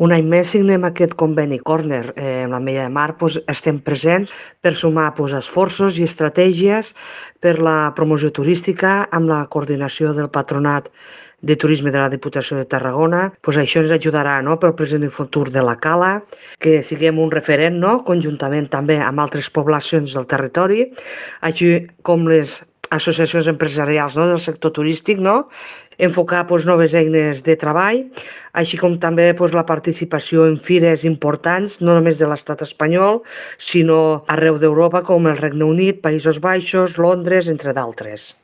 Un any més signem aquest conveni Corner amb l'Ametlla de Mar. Estem presents per sumar esforços i estratègies per la promoció turística amb la coordinació del Patronat de Turisme de la Diputació de Tarragona. Això ens ajudarà pel present i futur de la Cala, que siguem un referent conjuntament també amb altres poblacions del territori, així com les associacions empresarials del sector turístic, enfocar noves eines de treball, així com també la participació en fires importants, no només de l'estat espanyol, sinó arreu d'Europa, com el Regne Unit, Països Baixos, Londres, entre d'altres.